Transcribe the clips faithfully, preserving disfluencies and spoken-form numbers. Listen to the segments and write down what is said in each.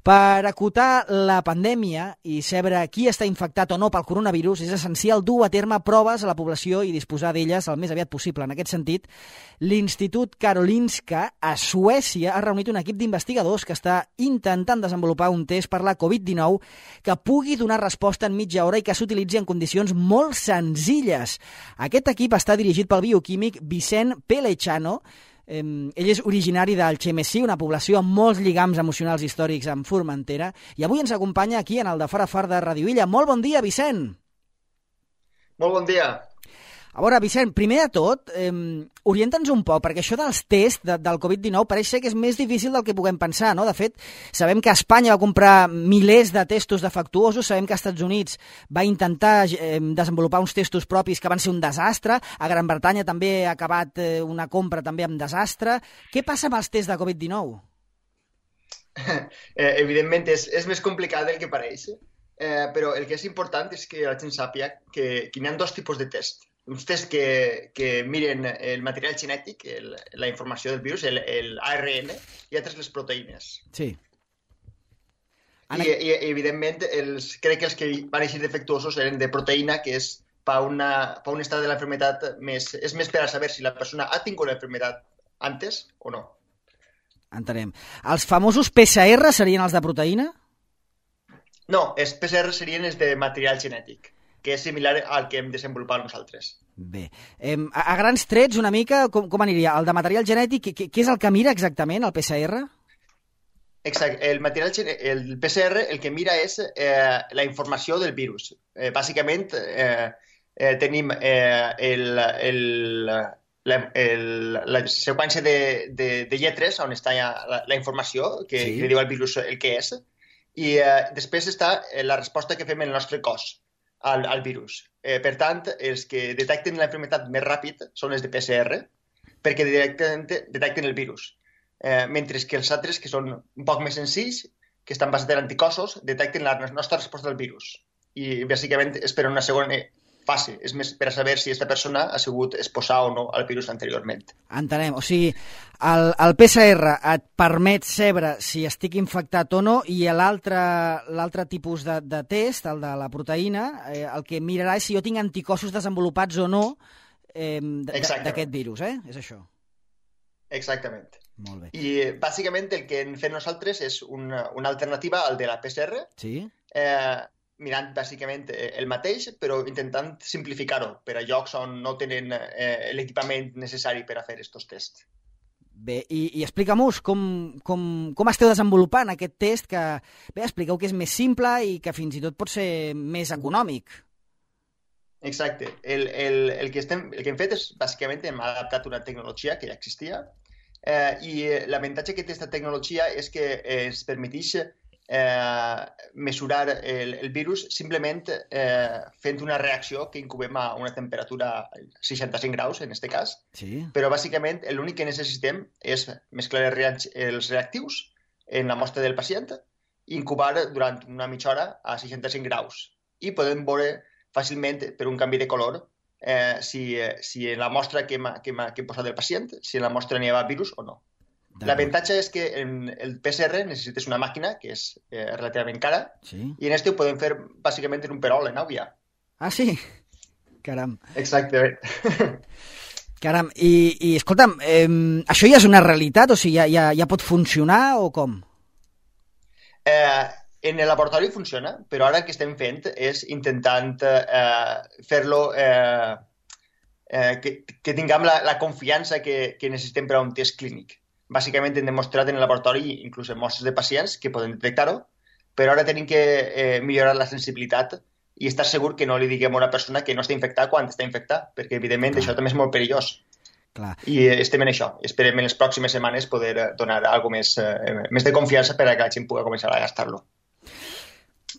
Per acotar la pandèmia i saber qui està infectat o no pel coronavirus, és essencial dur a terme proves a la població i disposar d'elles el més aviat possible. En aquest sentit, l'Institut Karolinska a Suècia ha reunit un equip d'investigadors que està intentant desenvolupar un test per la covid dinou que pugui donar resposta en mitja hora i que s'utilitzi en condicions molt senzilles. Aquest equip està dirigit pel bioquímic Vicent Pelechano. Eh, ell és originari d'Algemesí, una població amb molts lligams emocionals històrics amb Formentera, i avui ens acompanya aquí en el de Far a Far de Ràdio Illa. Molt bon dia, Vicent! Molt bon dia! A veure, Vicent, primer de tot, eh, orienta'ns un poc, perquè això dels tests de, del covid dinou pareix ser que és més difícil del que puguem pensar, no? De fet, sabem que Espanya va comprar milers de testos defectuosos, sabem que als Estats Units va intentar eh, desenvolupar uns testos propis que van ser un desastre, a Gran Bretanya també ha acabat eh, una compra també amb desastre. Què passa amb els tests de covid dinou? Eh, evidentment és, és més complicat del que pareix, eh, però el que és important és que la gent sàpiga que, que hi ha dos tipus de test. Uns tests que, que miren el material genètic, el, la informació del virus, el, el A R N, i altres les proteïnes. Sí. I, i evidentment, els, crec que els que van eixir defectuosos eren de proteïna, que és per, una, per un estat de la enfermedad més... És més per a saber si la persona ha tingut la enfermedad antes o no. Entenem. Els famosos P C R serien els de proteïna? No, els P C R serien els de material genètic, que és similar al que hem desenvolupat nosaltres. Bé, eh, a, a grans trets una mica, com, com aniria? El de material genètic, què, què és el que mira exactament, el P C R? Exacte, el, material, el P C R el que mira és eh, la informació del virus. Eh, bàsicament eh, eh, tenim eh, el, el, la, el, la seqüència de, de, de lletres on està la, la informació que, sí. que diu al virus el que és, i eh, després està la resposta que fem en el nostre cos Al, al virus. Eh, per tant, els que detecten la enfermedad més ràpid són els de P C R, perquè directament detecten el virus. Eh, mentre que els altres, que són un poc més senzills, que estan basats en anticossos, detecten la nostra resposta al virus. I, bàsicament, és per una segona fase. És més per a saber si aquesta persona ha sigut exposada o no al virus anteriorment. Entenem. O sigui, el, el P C R et permet saber si estic infectat o no, i l'altre l'altre tipus de, de test, el de la proteïna, eh, el que mirarà és si jo tinc anticossos desenvolupats o no eh, d'aquest virus, eh? És això. Exactament. Molt bé. I, bàsicament, el que hem fet nosaltres és una, una alternativa al de la P C R. Sí. Eh, mirant bàsicament el mateix, però intentant simplificar-ho per a llocs on no tenen eh, l'equipament necessari per a fer aquests tests. Bé, i, i explica-mos com, com, com esteu desenvolupant aquest test que, bé, expliqueu que és més simple i que fins i tot pot ser més econòmic. Exacte. El, el, el, que, estem, el que hem fet és, bàsicament, hem adaptat una tecnologia que ja existia eh, i l'avantatge que té aquesta tecnologia és que eh, ens permeteix Eh, mesurar el, el virus simplement eh, fent una reacció que incubem a una temperatura seixanta-cinc graus, en aquest cas. Sí. Però bàsicament l'únic que necessitem és mesclar els reactius en la mostra del pacient i incubar durant una mitja hora a seixanta-cinc graus. I podem veure fàcilment per un canvi de color eh, si, si en la mostra que hem, que hem, que hem posat del pacient, si en la mostra n'hi ha virus o no. L'avantatge és que en el P C R necessites una màquina que és eh, relativament cara, sí. I en este ho podem fer bàsicament en un perol, en àvia. Ah, sí? Caram. Exactament. Caram, i, i escolta'm, eh, això ja és una realitat? O sigui, ja, ja, ja pot funcionar o com? Eh, en el laboratori funciona, però ara el que estem fent és intentant eh, fer-lo... Eh, eh, que, que tinguem la, la confiança que, que necessitem per a un test clínic. Bàsicament hem demostrat en el laboratori, inclús en mostres de pacients, que poden detectar-ho, però ara tenim que eh, millorar la sensibilitat i estar segur que no li diguem a una persona que no està infectada quan està infectada, perquè evidentment Clar. Això també és molt perillós. Clar. I estem en això. Esperem en les pròximes setmanes poder donar alguna més, eh, més de confiança per a que la gent pugui començar a gastar-lo.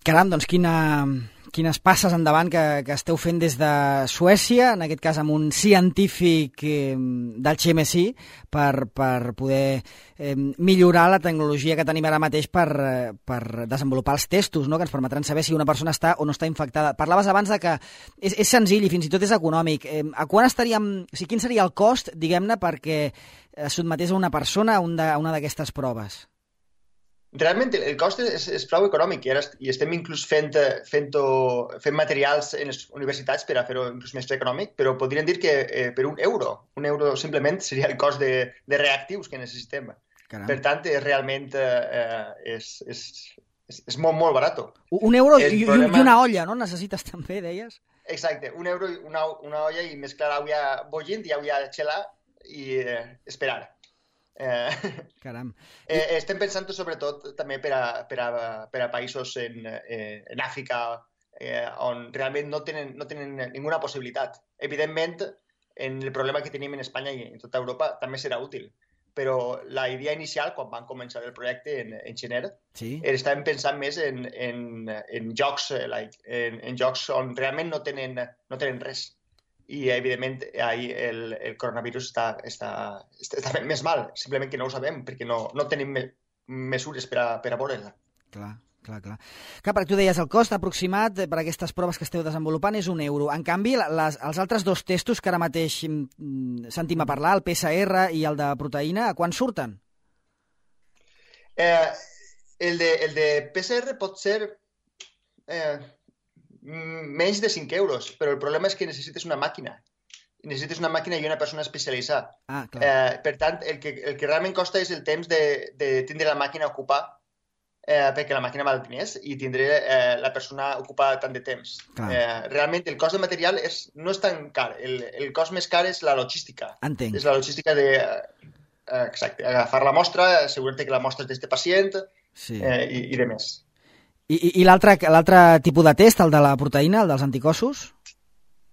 Caram, doncs quina... quines passes endavant que, que esteu fent des de Suècia, en aquest cas amb un científic eh, del Xemesí, per, per poder eh, millorar la tecnologia que tenim ara mateix per, eh, per desenvolupar els testos, no?, que ens permetran saber si una persona està o no està infectada. Parlaves abans de que és, és senzill i fins i tot és econòmic. Eh, a quan estaríem, o sigui, quin seria el cost, diguem-ne, perquè es sotmetés a una persona a una d'aquestes proves? Realment el cost és, és prou econòmic i, ara, i estem inclús fent, fent, fent materials en les universitats per a fer-ho inclús més econòmic, però podríem dir que eh, per un euro, un euro simplement seria el cost de, de reactius que necessitem. Caram. Per tant, és realment eh, és, és, és, és molt, molt barat. Un euro i, problema... i una olla, no? Necessites també, deies? Exacte, un euro, una, una olla i mesclar aigua bullint i aigua xelà i eh, esperar. Eh, Caram. Eh, estem pensant sobretot també per a, per a, per a països en, eh, en Àfrica eh, on realment no tenen, no tenen ninguna possibilitat. Evidentment, en el problema que tenim en Espanya i en tota Europa també serà útil, però la idea inicial, quan van començar el projecte en, en gener, sí. estàvem pensant més en, en, en, jocs, like, en, en jocs on realment no tenen, no tenen res. I, evidentment, ahir el, el coronavirus està, està, està fent més mal, simplement que no ho sabem, perquè no, no tenim me, mesures per a, per a veure-la. Clar, clar, clar. Clar, perquè tu deies, el cost aproximat per a aquestes proves que esteu desenvolupant és un euro. En canvi, les, els altres dos testos que ara mateix sentim a parlar, el P C R i el de proteïna, a quan surten? Eh, el, de, el de P C R pot ser... Eh, menys de cinc euros, però el problema és que necessites una màquina. Necessites una màquina i una persona especialitzada. Ah, eh, per tant, el que, el que realment costa és el temps de, de tindre la màquina ocupada, eh, perquè la màquina val diners i tindré eh, la persona ocupada tant de temps. Eh, realment, el cost de material és, no és tan car. El, el cost més car és la logística. Entenc. És la logística de... Eh, exacte, agafar la mostra, assegurar-te que la mostra és d'este pacient sí. eh, i, i de més. I, i, i l'altre tipus de test, el de la proteïna, el dels anticossos?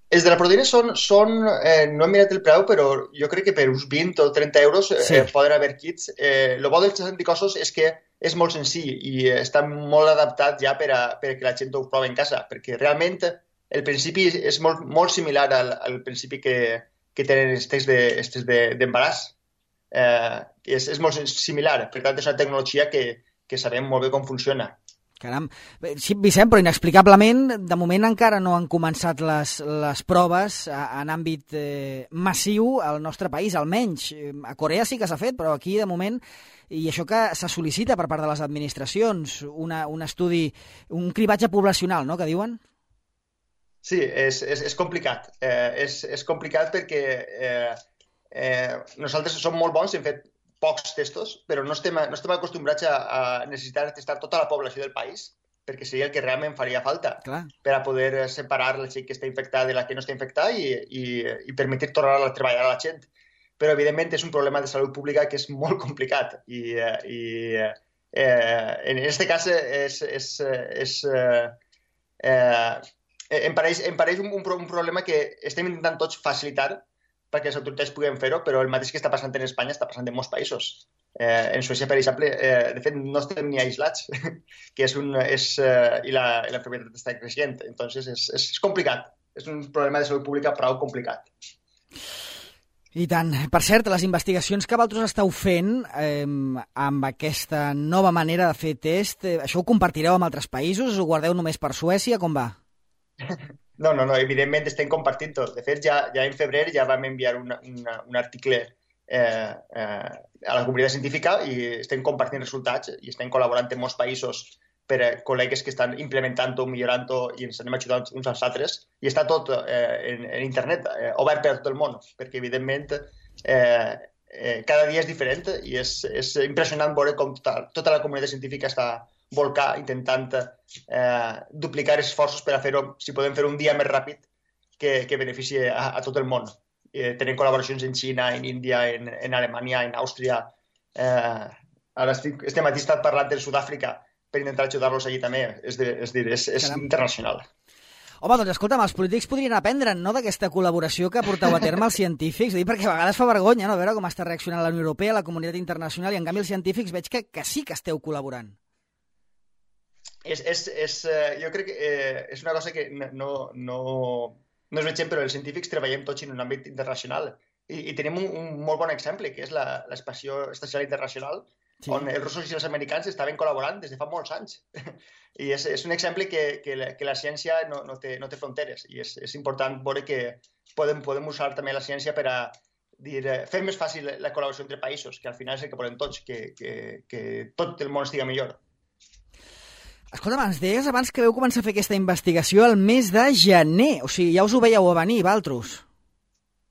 Els de la proteïna són, són eh, no he mirat el preu, però jo crec que per uns vint o trenta euros eh, sí. poden haver kits. Eh, el bo dels anticossos és que és molt senzill i està molt adaptat ja per a, per a que la gent ho provi en casa, perquè realment el principi és molt, molt similar al, al principi que, que tenen els tests d'embaràs. De, eh, és, és molt similar, per tant és una tecnologia que, que sabem molt bé com funciona. Caram. Sí, Vicent, però inexplicablement, de moment encara no han començat les, les proves en àmbit eh, massiu al nostre país, almenys. A Corea sí que s'ha fet, però aquí, de moment, i això que se sol·licita per part de les administracions, una, un estudi, un cribatge poblacional, no?, que diuen? Sí, és, és, és complicat. Eh, és, és complicat perquè eh, eh, nosaltres som molt bons, hem fet pocs testos, però no estem, no estem acostumbrats a, a necessitar testar tota la població del país, perquè seria el que realment faria falta. Clar. Per a poder separar la gent que està infectada de la que no està infectada i, i, i permetre tornar a treballar a la gent. Però, evidentment, és un problema de salut pública que és molt complicat. I, i eh, en aquest cas és, és, és, eh, eh, em pareix, em pareix un, un, un problema que estem intentant tots facilitar perquè les autoritats puguin fer-ho, però el mateix que està passant en Espanya està passant en molts països. Eh, en Suècia, per exemple, eh, de fet, no estem ni aislats, que és un, és, eh, i la, i la enfermedad està creixent. Entonces, és, és, és complicat. És un problema de salut pública prou complicat. I tant. Per cert, les investigacions que vosaltres esteu fent eh, amb aquesta nova manera de fer test, eh, això ho compartireu amb altres països? Ho guardeu només per Suècia? Com va? No, no, no, evidentment estem compartint tot. De fet, ja, ja en febrer ja vam enviar una, una, un article eh, eh, a la comunitat científica i estem compartint resultats i estem col·laborant en molts països per a col·legues que estan implementant-ho, millorant-ho i ens anem ajudant uns als altres. I està tot eh, en, en internet, eh, obert per a tot el món, perquè evidentment eh, eh, cada dia és diferent i és, és impressionant veure com tota, tota la comunitat científica està volcar, intentant eh, duplicar esforços per a fer-ho, si podem fer un dia més ràpid que, que benefici a, a tot el món. Eh, tenen col·laboracions en Xina, en Índia, en, en Alemanya, en Àustria. Eh, ara estic, este matí he estat parlant de Sud-àfrica per intentar ajudar-los allí també. És, de, és, dir, és, és internacional. Home, doncs escolta'm, els polítics podrien aprendre, no?, d'aquesta col·laboració que porteu a terme els científics, dic, perquè a vegades fa vergonya, no?, veure com està reaccionant la Unió Europea, la comunitat internacional, i en canvi els científics veig que, que sí que esteu col·laborant. És, és, és, jo crec que eh, és una cosa que no, no, no es veiem, però els científics treballem tots en un àmbit internacional i, i tenim un, un molt bon exemple, que és l'Estació Espacial Internacional, sí. On els russos i els americans estaven col·laborant des de fa molts anys. I és, és un exemple que, que, la, que la ciència no, no, té, no té fronteres i és, és important veure que podem, podem usar també la ciència per a dir, fer més fàcil la col·laboració entre països, que al final és el que volem tots, que, que, que tot el món estigui millor. Escolta, ens deies abans que veu començar a fer aquesta investigació el mes de gener, o sigui, ja us ho veieu a venir, Valtros.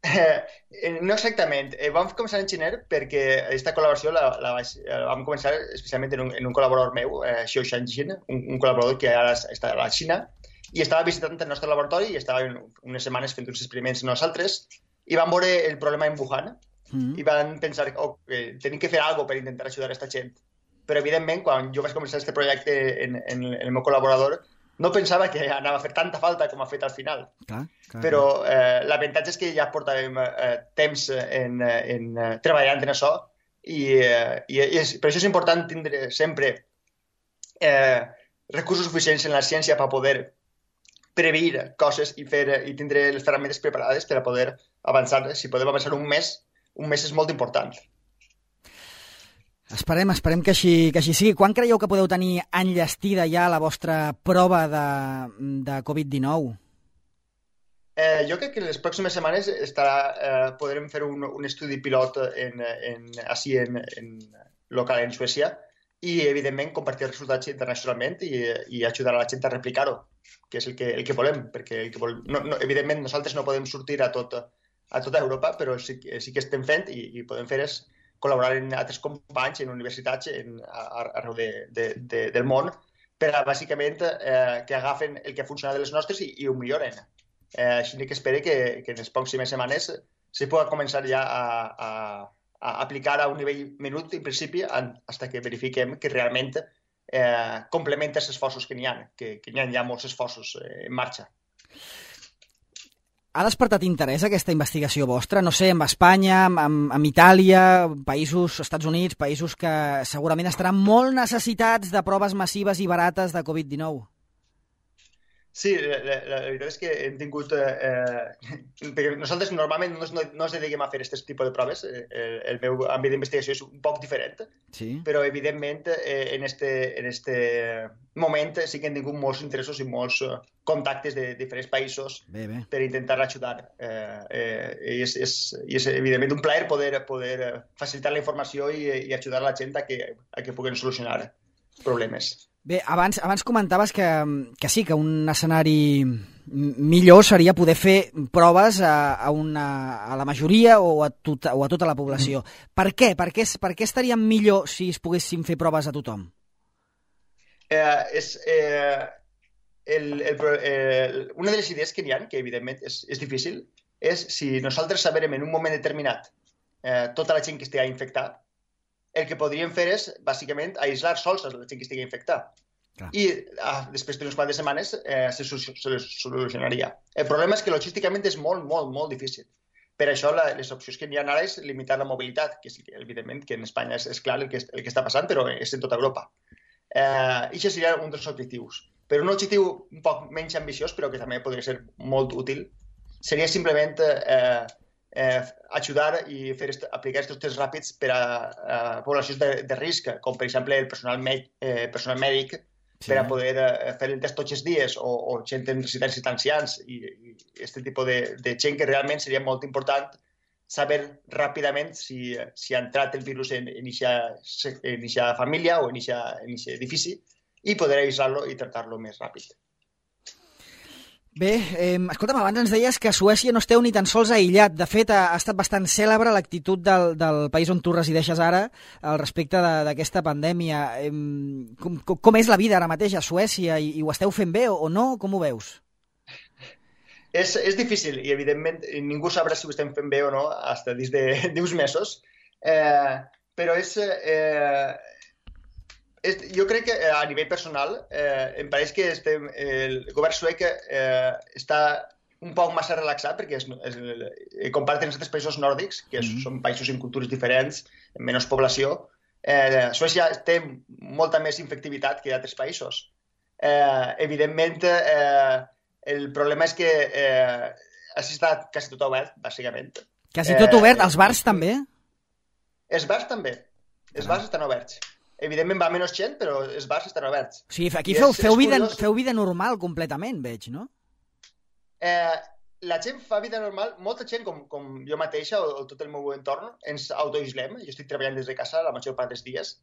Eh, no exactament. Eh, vam començar en gener perquè aquesta col·laboració la, la, la vam començar especialment en un, en un col·laborador meu, eh, Xiao Shanjin, un, un col·laborador que ara està a la Xina, i estava visitant el nostre laboratori i estava unes setmanes fent uns experiments nosaltres i vam veure el problema en Wuhan mm. i vam pensar que oh, eh, tenim que fer alguna cosa per intentar ajudar a aquesta gent. Però, evidentment, quan jo vaig començar aquest projecte en, en, en el meu col·laborador, no pensava que anava a fer tanta falta com ha fet al final. Clar, clar, però eh, l'avantatge és que ja portàvem eh, temps en, en, en treballant en això i, eh, i és, per això és important tindre sempre eh, recursos suficients en la ciència per poder preveure coses i, fer, i tindre les ferramentes preparades per a poder avançar. Si podem avançar un mes, un mes és molt important. Esperem, esperem que així, que així sigui. Quan creieu que podeu tenir enllestida ja la vostra prova de, de covid dinou? Eh, jo crec que en les pròximes setmanes estarà, eh, podrem fer un, un estudi pilot en, en, així en, en local en Suècia i, evidentment, compartir els resultats internacionalment i, i ajudar a la gent a replicar-ho, que és el que, el que volem, perquè el que volem, no, no, evidentment nosaltres no podem sortir a, tot, a tota Europa, però sí, sí que estem fent i, i podem fer és col·laborar amb altres companys en universitats en, arreu de, de, de, del món per a, bàsicament, eh, que agafen el que ha funcionat de les nostres i, i ho milloren. Eh, així que espero que, que en les pròximes setmanes se pugui començar ja a, a, a aplicar a un nivell menut, en principi, fins que verifiquem que realment eh, complementa els esforços que n'hi ha, que, que n'hi ha ja molts esforços eh, en marxa. Ha despertat interès aquesta investigació vostra? No sé, amb Espanya, amb, amb Itàlia, països, Estats Units, països que segurament estaran molt necessitats de proves massives i barates de covid dinou. Sí, la, la, la veritat és que hem tingut... Eh, perquè nosaltres normalment no, no, no ens dediquem a fer aquest tipus de proves. Eh, el meu àmbit d'investigació és un poc diferent, sí. Però evidentment eh, en este, en este moment sí que hem tingut molts interessos i molts contactes de diferents països bé, bé. Per intentar ajudar. Eh, eh, i, és, és, I és evidentment un plaer poder, poder facilitar la informació i, i ajudar la gent a que, a que puguen solucionar problemes. Bé, abans, abans comentaves que, que sí, que un escenari millor seria poder fer proves a, a, una, a la majoria o a, tot, o a tota la població. Mm. Per què? Per què? Per què estaria millor si es poguessin fer proves a tothom? Eh, és, eh, el, el, el, una de les idees que n'hi ha, que evidentment és, és difícil, és si nosaltres saberem en un moment determinat eh, tota la gent que estigui infectada, el que podríem fer és, bàsicament, aïslar sols a la gent que estigui infectada. Clar. I ah, després d'unes quantes setmanes eh, se, se solucionaria. El problema és que logísticament és molt, molt, molt difícil. Per això la, les opcions que n'hi ha ara és limitar la mobilitat, que sí, evidentment que en Espanya és, és clar el que, el que està passant, però és en tota Europa. Eh, I això seria un dels objectius. Però un objectiu un poc menys ambiciós, però que també podria ser molt útil, seria simplement... Eh, Eh, ajudar i fer aplicar aquests tests ràpids per a, a poblacions de, de risc, com per exemple el personal, med, eh, personal mèdic, sí. Per a poder eh, fer el test tots els dies, o, o gent en residències d'ancians, i aquest tipus de, de gent que realment seria molt important saber ràpidament si, si ha entrat el virus en aquesta família o en aquest edifici i poder avisar-lo i tractar-lo més ràpid. Bé, eh, escolta'm, abans ens deies que a Suècia no esteu ni tan sols aïllat. De fet, ha, ha estat bastant cèlebre l'actitud del, del país on tu resideixes ara al respecte d'aquesta pandèmia. Eh, com, com és la vida ara mateix a Suècia? I, i ho esteu fent bé o, o no? Com ho veus? És, és difícil i, evidentment, ningú sabrà si ho estem fent bé o no fins dins de, d'uns mesos. Eh, però és... Eh, Jo crec que a nivell personal eh, em pareix que estem, el govern suec eh, està un poc massa relaxat perquè es, es, compara't amb altres països nòrdics, que mm-hmm. són països amb cultures diferents, amb menys població. Eh, Suècia té molta més infectivitat que altres països. Eh, evidentment, eh, el problema és que eh, ha estat quasi tot obert, bàsicament. Quasi tot obert? Eh, els bars eh, també? Els bars també. Els bars estan oberts. Evidentment va menys gent, però els bars estan oberts. Sí, aquí feu, feu, vida, feu vida normal completament, veig, no? Eh, la gent fa vida normal, molta gent com, com jo mateixa o, o tot el meu entorn ens autoislem. Jo estic treballant des de casa la major part dels dies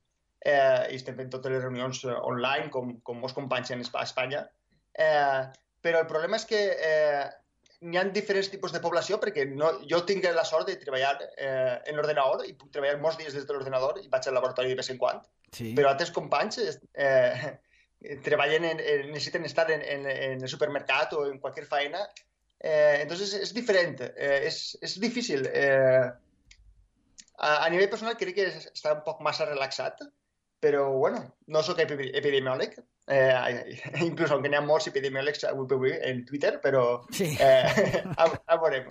eh, i estem fent totes les reunions online com, com molts companys en Espanya. Eh, però el problema és que eh, n'hi ha diferents tipus de població perquè no, jo tinc la sort de treballar eh, en l'ordenador i puc treballar molts dies des de l'ordenador i vaig al laboratori de vez en quan. Sí. Però altres companys eh, treballen en, en, necessiten estar en, en, en el supermercat o en qualsevol feina. Eh, entonces es diferente, eh, es, es difícil. Eh, a, a nivell personal crec que està un poc massa relaxat, però bueno, no sóc epidemiòleg, eh, inclús aunque n'hi ha molts epidemiòlegs avui en Twitter, però sí. eh, a, a veurem.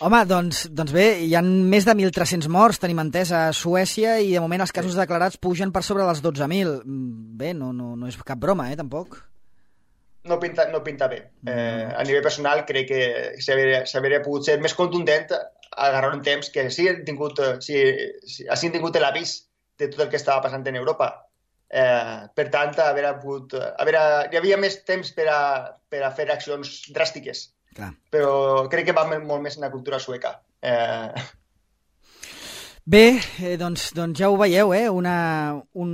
Home, doncs, doncs bé, hi ha més de mil tres-cents morts, tenim entès, a Suècia, i de moment els casos declarats pugen per sobre dels dotze mil. Bé, no, no, no és cap broma, eh, tampoc. No pinta, no pinta bé. Eh, a nivell personal crec que s'hauria pogut ser més contundent agarrar un temps que sí han tingut, sí, sí, han tingut l'avís de tot el que estava passant en Europa. Eh, per tant, haver pogut, haver, hi havia més temps per a, per a fer accions dràstiques. Clar. Però crec que va molt més en la cultura sueca. Eh... Bé, eh, doncs, doncs ja ho veieu, eh? una, un,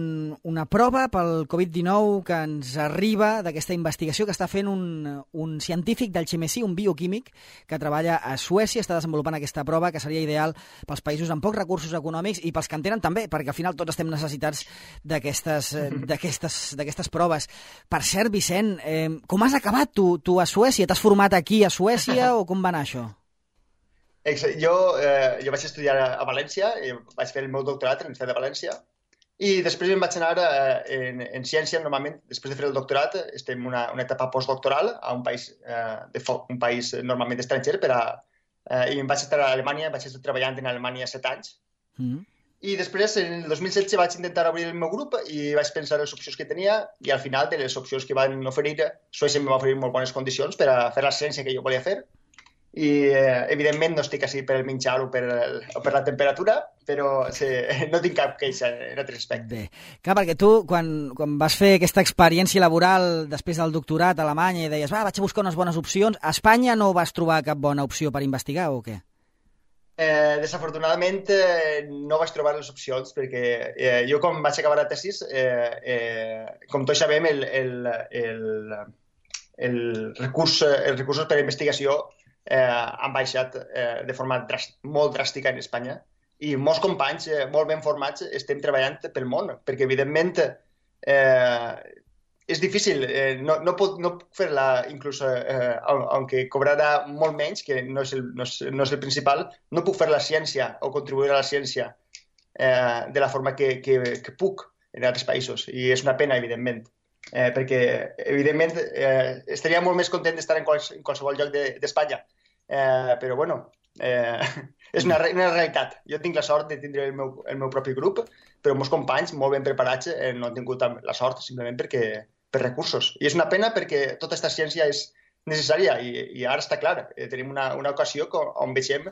una prova pel covid dinou que ens arriba d'aquesta investigació que està fent un, un científic del Xemesí, un bioquímic que treballa a Suècia, està desenvolupant aquesta prova que seria ideal pels països amb pocs recursos econòmics i pels que en tenen també, perquè al final tots estem necessitats d'aquestes d'aquestes proves. Per cert, Vicent, eh, com has acabat tu, tu a Suècia? T'has format aquí a Suècia o com va anar això? Jo, eh, jo vaig estudiar a València, vaig fer el meu doctorat en l'Universitat de València i després em vaig anar eh, en, en ciència. Normalment, després de fer el doctorat, estem en una, una etapa postdoctoral a un país, eh, de fo un país normalment estranger per a, eh, i em vaig estar a Alemanya, vaig estar treballant en Alemanya set anys. Mm. I després, en el dos mil setze, vaig intentar obrir el meu grup i vaig pensar les opcions que tenia i al final de les opcions que van oferir, Suècia em va oferir molt bones condicions per a fer la ciència que jo volia fer. I eh, evidentment no estic així per el menjar o per, el, o per la temperatura, però sí, no tinc cap queixa en altres aspectes. Bé, clar, perquè tu quan, quan vas fer aquesta experiència laboral després del doctorat a Alemanya i deies, va, vaig a buscar unes bones opcions, a Espanya no vas trobar cap bona opció per investigar o què? Eh, desafortunadament eh, no vaig trobar les opcions perquè eh, jo quan vaig acabar la tesis, eh, eh, com tots sabem, el, el, el, el recurs, els recursos per a investigació Eh, han baixat eh, de forma dràstica, molt dràstica en Espanya i molts companys eh, molt ben formats estem treballant pel món, perquè evidentment eh, és difícil, eh, no, no, puc, no puc fer-la inclús, eh, aunque cobrarà molt menys, que no és, el, no, és, no és el principal, no puc fer la ciència o contribuir a la ciència eh, de la forma que, que, que puc en altres països, i és una pena, evidentment. Eh, perquè, evidentment, eh, estaria molt més content d'estar en, quals, en qualsevol lloc d'Espanya. De, eh, però, bueno, eh, és una, una realitat. Jo tinc la sort de tindre el meu, el meu propi grup, però molts companys molt ben preparats eh, no han tingut la sort simplement perquè, per recursos. I és una pena perquè tota aquesta ciència és necessària i, i ara està clar. Eh, tenim una, una ocasió on veiem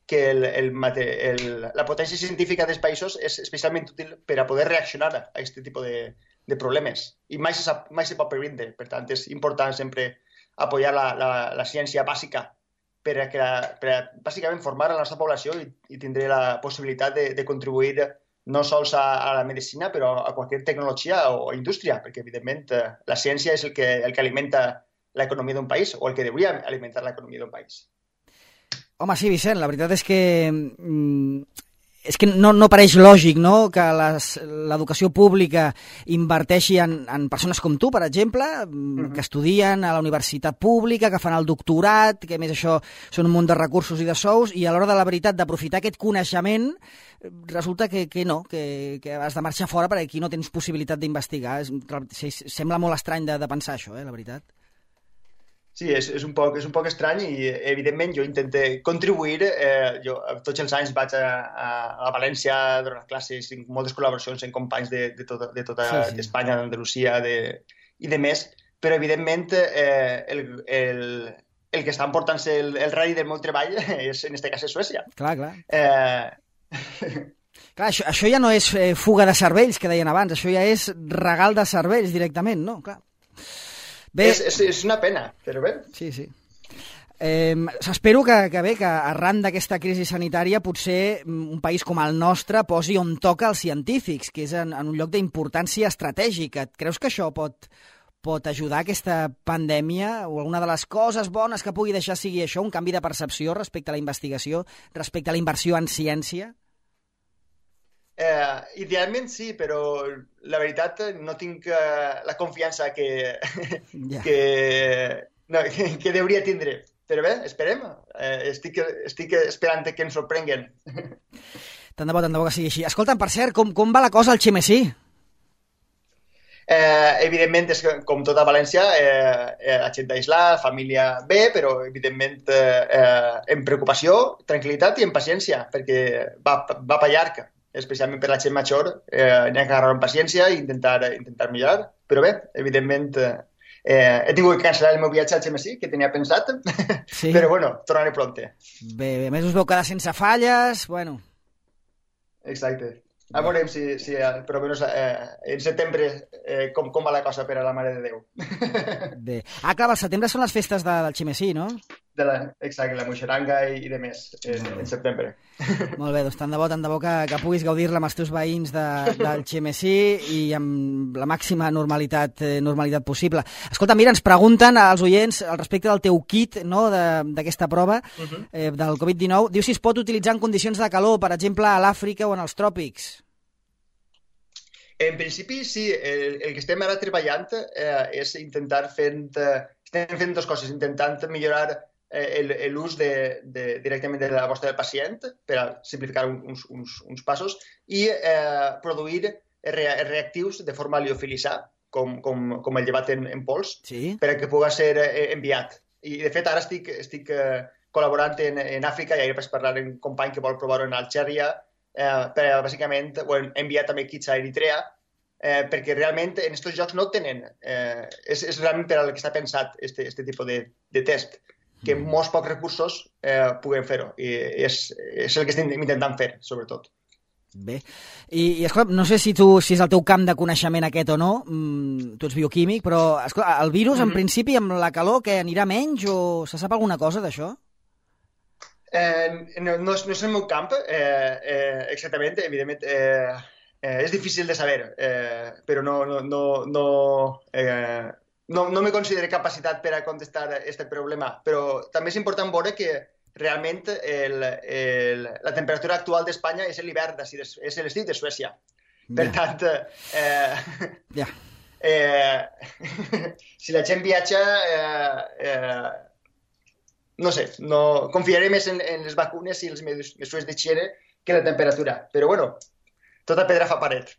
que el, el, el, la potència científica dels països és especialment útil per a poder reaccionar a aquest tipus de de problemes, i mai se, sap, mai se pot previndre. Per tant, és important sempre apoyar la, la, la ciència bàsica per a, que la, per a bàsicament formar a la nostra població i, i tindre la possibilitat de, de contribuir no sols a, a la medicina, però a qualsevol tecnologia o indústria, perquè, evidentment, la ciència és el que, el que alimenta l'economia d'un país, o el que hauria alimentar l'economia d'un país. Home, sí, Vicent, la veritat és que... Mm... És que no, no pareix lògic, no?, que l'educació pública inverteixi en, en persones com tu, per exemple, uh-huh. que estudien a la universitat pública, que fan el doctorat, que a més això són un munt de recursos i de sous, i a l'hora de la veritat d'aprofitar aquest coneixement resulta que, que no, que, que has de marxar fora perquè aquí no tens possibilitat d'investigar. Sembla molt estrany de, de pensar això, eh, la veritat. Sí, és, és, un poc, és un poc estrany i, evidentment, jo intento contribuir. Eh, jo tots els anys vaig a, a, a València a donar classes, tinc moltes col·laboracions amb companys de, de, tot, de tota sí, sí. Espanya, d'Andalusia de, i de més, però, evidentment, eh, el, el, el que està emportant-se el, el radi del meu treball és, en aquest cas, és Suècia. Clar, clar. Eh... Clar, això, això ja no és eh, fuga de cervells, que deien abans, això ja és regal de cervells directament, no? Clar. Bé, és, és, és una pena, però bé. Sí, sí. Eh, Espero que, que bé, que arran d'aquesta crisi sanitària potser un país com el nostre posi on toca els científics, que és en, en un lloc d'importància estratègica. Creus que això pot, pot ajudar aquesta pandèmia o alguna de les coses bones que pugui deixar sigui això, un canvi de percepció respecte a la investigació, respecte a la inversió en ciència? Eh, idealment sí, però la veritat no tinc uh, la confiança que, yeah. que, no, que, que hauria tindre. Però bé, esperem. Eh, estic, estic esperant que ens sorprenguen. Tant de bo, tant de bo que sigui així. Escolta'm, per cert, com, com va la cosa al Xemesí? Eh, evidentment, és que, com tota València, eh, la gent d'aislar, família bé, però evidentment eh, en preocupació, tranquil·litat i en paciència, perquè va, va per llarg. Especialment per la gent major, eh, n'hi ha que agarrar amb paciència i intentar, intentar millorar. Però bé, evidentment, eh, he tingut que cancel·lar el meu viatge al Xemesí, que tenia pensat, sí. Però bueno, tornaré pronte. Bé, bé, més us veu quedar sense falles, bueno. Exacte. A veurem si, si per almenys eh, en setembre eh, com, com va la cosa per a la Mare de Déu. Bé. Ah, clar, al setembre són les festes de, del Xemesí, no? De la, exacte, la moixeranga i, i de més, en, en setembre. Molt bé, doncs tant de bo, tant de bo que, que puguis gaudir-la amb els teus veïns de, del Xemesí i amb la màxima normalitat, eh, normalitat possible. Escolta, mira, ens pregunten als oients al respecte del teu kit, no?, d'aquesta prova uh-huh. eh, del covid dinou. Diu si es pot utilitzar en condicions de calor, per exemple, a l'Àfrica o en els tròpics. En principi, sí. El, el que estem ara treballant eh, és intentar fent... Eh, estem fent dues coses. Intentant millorar eh, l'ús de, de, directament de la vostra del pacient per a simplificar uns, uns, uns passos i eh, produir re, reactius de forma liofilitzar, com, com, com el llevat en, en pols, sí. Per a que pugui ser eh, enviat. I, de fet, ara estic, estic eh, col·laborant en, en Àfrica i ahir vaig parlar amb un company que vol provar-ho en Algèria, eh, per a, bàsicament, ho hem enviat també kits a Eritrea, eh, perquè realment en aquests jocs no tenen. Eh, és, és realment per al que està pensat este, este tipus de, de test, que amb molts pocs recursos eh, puguem fer-ho. I és, és el que estem intentant fer, sobretot. Bé, i, i escolta, no sé si, tu, si és el teu camp de coneixement aquest o no, mm, tu ets bioquímic, però escolta, el virus, mm-hmm. en principi, amb la calor, que anirà menys o se sap alguna cosa d'això? Eh, no, no, és, no és el meu camp, eh, eh, exactament, evidentment, eh, eh, és difícil de saber, eh, però no, no, no, no, eh, no, no me considero capacitat per a contestar aquest problema, però també és important veure que realment el, el, la temperatura actual d'Espanya és l'hivern, és l'estiu de Suècia. Per yeah. tant, eh, yeah. eh, si la gent viatja, eh, eh, no sé, no, confiaré més en, en les vacunes i les mesures d'higiene que la temperatura. Però bueno, tota pedra fa paret.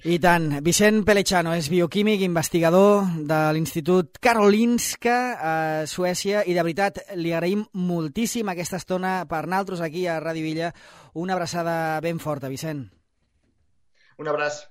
I tant. Vicent Pelechano és bioquímic, investigador de l'Institut Karolinska a Suècia i de veritat li agraïm moltíssim aquesta estona per nosaltres aquí a Ràdio Illa. Una abraçada ben forta, Vicent. Un abraç.